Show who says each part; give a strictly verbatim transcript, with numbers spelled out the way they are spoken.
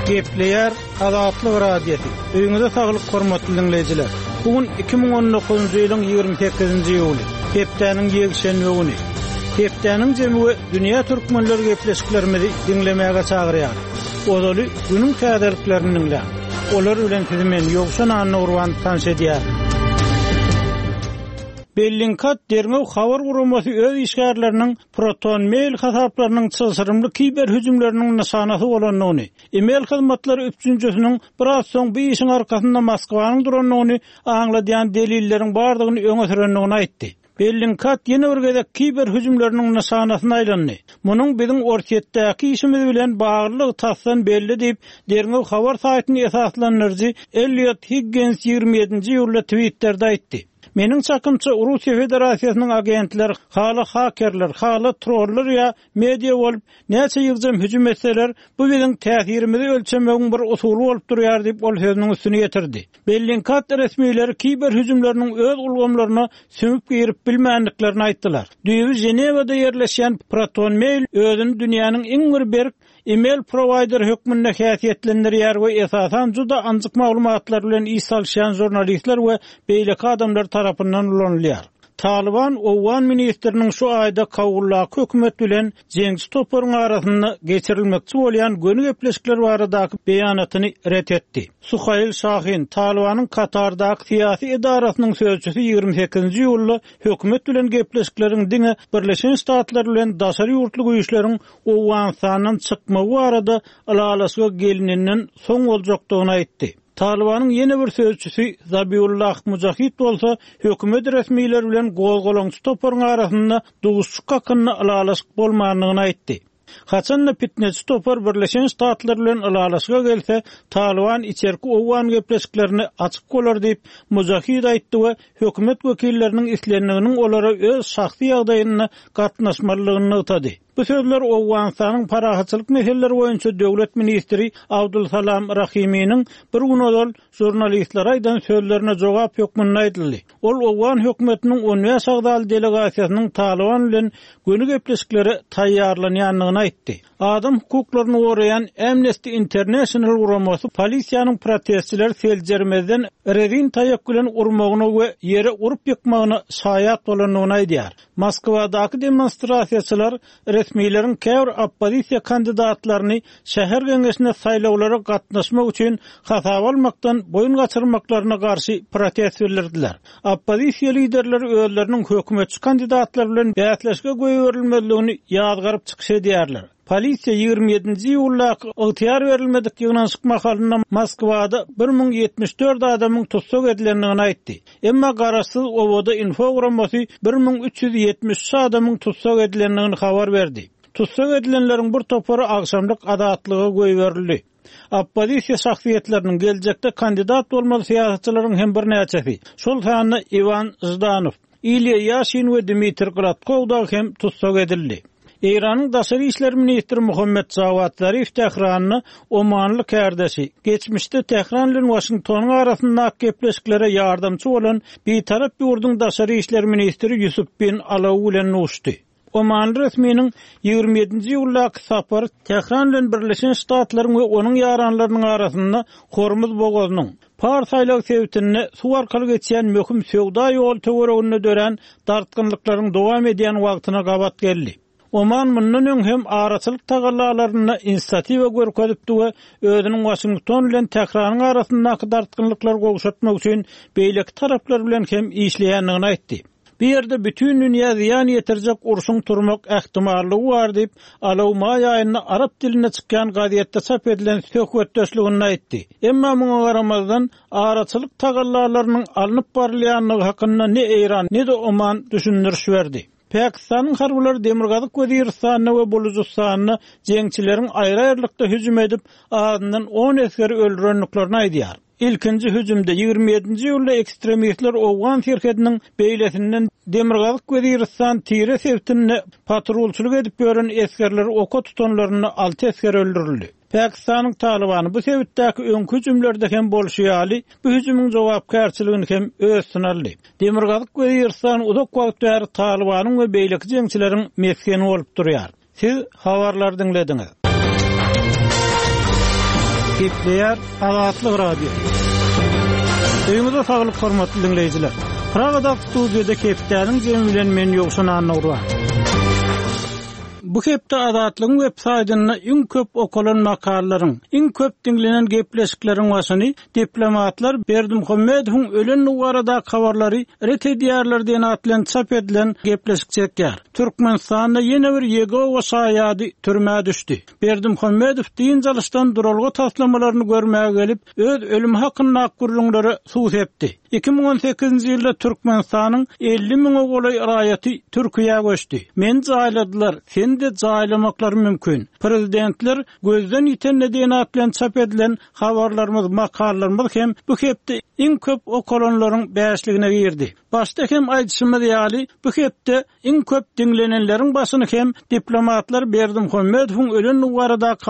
Speaker 1: Gepleýär Azatlyk Radiosy. Öýüňize saglyk hormatly diňleýjiler. Bu gün iki müň on dokuzynjy ýylyň ýigrimi sekizinji iýuly, hepdäniň ýekşenbe güni. Hepdäniň jemi we dünýä türkmenleri gepleşiklerimizi diňlemäge çagyrýar. Ozaly günüň täzeliklerini diňläň. Olar bilen sizi men Ýowşan Annagurban tanyş edýär. Bellingcat derňew habar guramasy öz işgärleriniň Proton Mail hasaplarynyň çylşyrymly kiber hüjümleriniň nyşanasy bolandygyny, e-mail hyzmatlary üpjünçisiniň biraz soň bu işiň arkasynda Moskwanyň durandygyny aňladýan delilleriň bardygyny öňe sürendigini aýtdy. Bellingcat ýene bir gezek kiber hüjümleriniň nyşanasyna aýlandy. Munuň biziň Orsýetdäki işimiz bilen baglylygy tasdan belli diýip, derňew habar saýtyny esaslandyryjy Elliot Higgins ýigrimi ýedinji iýulda Twitterde aýtdy. Meniň çakymça Russiýa Federasiýasynyň agentleri, hala hakerler, hala trollar ýa media bolup, näçe ýygjam hüjüm etseler, bu biziň täsirimizi ölçemegiň bir usuly bolup durýar diýip ol sözüniň üstüni ýetirdi. Bellingcat resmileri kiber hüjümleriniň öz ulgamlaryna sümüp girip bilmändiklerini aýtdylar. Düýbi Ženewada ýerleşýän Proton Mail özüni dünýäniň iň bir berk e-mail provider hökmünde häsiýetlendirýär we esasan juda anjyk maglumatlar bilen iş salyşýan jurnalistler we beýleki adamlar tarapyndan ulanylýar. Taliban Owgan ministriniň şu aýda Kabuldaky hökümet bilen jeňçi toparyň arasynda geçirilmekçi bolýan göni gepleşikler baradaky beýanatyny ret etdi. Suhail Şahin, Talibanyň Katardaky syýasy edarasynyň sözçüsi ýigrimi sekizinji iýulda hökümet bilen gepleşikleriň diňe Birleşen Ştatlar bilen daşary ýurtly güýçleriň Owganystandan çykmagy barada ylalaşyga gelininden soň boljakdygyny aýtdy. Talibanyň ýene bir sözçüsi Zabiullah Mujahid bolsa hökümet resmileri bilen gozgalaňçy toparyň arasynda duşuşyk hakynda ylalaşyk bolmandygyny aýtdy. Haçanda fitneçi topar Birleşen Ştatlar bilen ylalaşyga gelse, Taliban içerki Owgan gepleşiklerini açyk bolar diýip Mujahid aýtdy we hökümet wekilleriniň islendiginiň olara öz şahsy ýagdaýyna gatnaşmalydygyny nygtady. Bu sözler Owganystanyň parahatçylyk meseleleri boýunça döwlet ministri Abdulsalam Rahiminiň bir gün ozal jurnalistlere aýdan sözlerine jogap hökmünde aýdyldy. Ol Owgan hökümetiniň on bäş agzaly delegasiýasynyň Taliban bilen göni gepleşiklere taýýarlanýandygyny aýtdy. Adam hukuklaryny goraýan Amnesty International guramasy polisiýanyň protestçileri seljermezden rezin taýak bilen urmagyna we ýere urup ýykmagyna şaýat bolandygyny aýdýar. Moskwadaky demonstrasiýaçylar resmileriň käbir oppozisiýa kandidatlaryny şäher geňeşine saýlawlara gatnaşmak üçin hasaba almakdan boýun gaçyrmaklaryna garşy protest bildirdiler. Oppozisiýa liderleri özleriniň hökümetçi kandidatlar bilen bäsleşige goýberilmezligini ýazgaryp çykyş edýärler. Polisiýa ýigrimi ýedinji iýuldaky ygtyýar berilmedik ýygnanyşyk mahalynda Moskwada bir müň ýetmiş dört adamyň tussag edilendigini aýtdy. Emma garaşsyz Owoda info guramasy bir müň üç ýüz ýetmiş üç adamyň tussag edilendigini habar berdi. Tussag edilenleriň bir topary agşamlyk azatlyga goýberildi. Oppozisiýa şahsyýetleriniň geljekde kandidat bolmaly syýasatçylaryň hem bir näçesi, şol sanda Iwan Ždanow, Ilýa Ýaşin we Dmitri Gladkow da hem tussag edildi. Eýranyň daşary işler ministri Muhammed Jawad Zarif Tähranda Omanly kardeşi, geçmişde Tähran bilen Washingtonyň arasyndaky gepleşiklere ýardamçy bolan bitarap ýurduň daşary işler ministri Ýusuf bin Alaw bilen duşdy. Omanly resminiň ýigrimi ýedinji iýuldaky sapary Tähran bilen Birleşen Ştatlaryň we onuň ýaranlarynyň arasynda Hormuz bogazynyň Pars aýlagy sebitinde suw arkaly geçýän möhüm söwda ýoly töwereginde dörän dartgynlyklaryň dowam edýän wagtyna gabat geldi. Oman mundan öň hem araçylyk tagallalarynda inisiatiwa görkezipdi we özüniň Washington bilen Tähranyň arasyndaky dartgynlyklary gowşatmak üçin beýleki taraplar bilen hem işleýändigini aýtdy. Bu ýerde bütün dünýä zyýan ýetirjek urşuň turmak ähtimallygy bar diýip, Alaw maý aýynda arap dilinde çykýan gazetde çap edilen söhbetdeşliginde aýtdy. Emma muňa garamazdan araçylyk tagallalarynyň alnyp barylýandygy hakynda ne Eýran, ne-de Oman düşündiriş berdi. Pakistanyň harbylary Demirgazyk Weziristanda we Bulujystanda jeňçileriň aýry-aýrylykda hüjüm edip, azyndan on esgeri öldürendiklerini aýdýar. Ilkinji hüjümde ýigrimi ýedinji iýulda ekstremistler Owgan serhediniň beýlesinden Demirgazyk Weziristan Tire sebitinde patrulçylyk edip ýören esgerleri oka tutanlarynda alty esger öldürildi. Pakistanyň Talibany bu sebitdäki öňki hüjümlerde hem bolşy ýaly, bu hüjümiň jogapkärçiligini hem öz üstüne aldy. Demirgazyk Weziristan uzak wagt bäri Talibanyň we beýleki jeňçileriň mesgeni bolup durýar. Siz habarlar diňlediňiz. Gepleýär Azatlyk Radiosy. Öýüňize saglyk hormatly diňleýjiler. Pragadaky studiýada hepdäniň jemi bilen men Ýowşan Annagurban. Bu hepde Azatlygyň web saýtynda iň köp okalan makalalaryň, iň köp diňlenen gepleşikleriň başyny diplomatlar Berdimuhamedowyň ölendigi baradaky habarlary ret edýärler diýen at bilen çap edilen gepleşik çekýär. Türkmenistanda ýene bir Ýegowa şaýady türmä düşdi. Berdimuhamedow dynç alyşdan duralga taslamalaryny görmäge gelip, öz ölümi hakyndaky gürrüňlere suw sepdi. Iki müň on sekizinji ýylda Türkmenistanyň elli müňe golaý raýaty Türkiýä göçdi. Meni jaýladylar, seni-de jaýlamaklary mümkin. Prezidentler gözden ýitende diýen at bilen çap edilen habarlarymyz, makalalarymyz hem bu hepde iň köp okalanlaryň bäşligine girdi. Başda hem aýdyşymyz ýaly, bu hepde iň köp diňlenenleriň başyny hem diplomatlar Berdimuhamedowyň ölendigi baradaky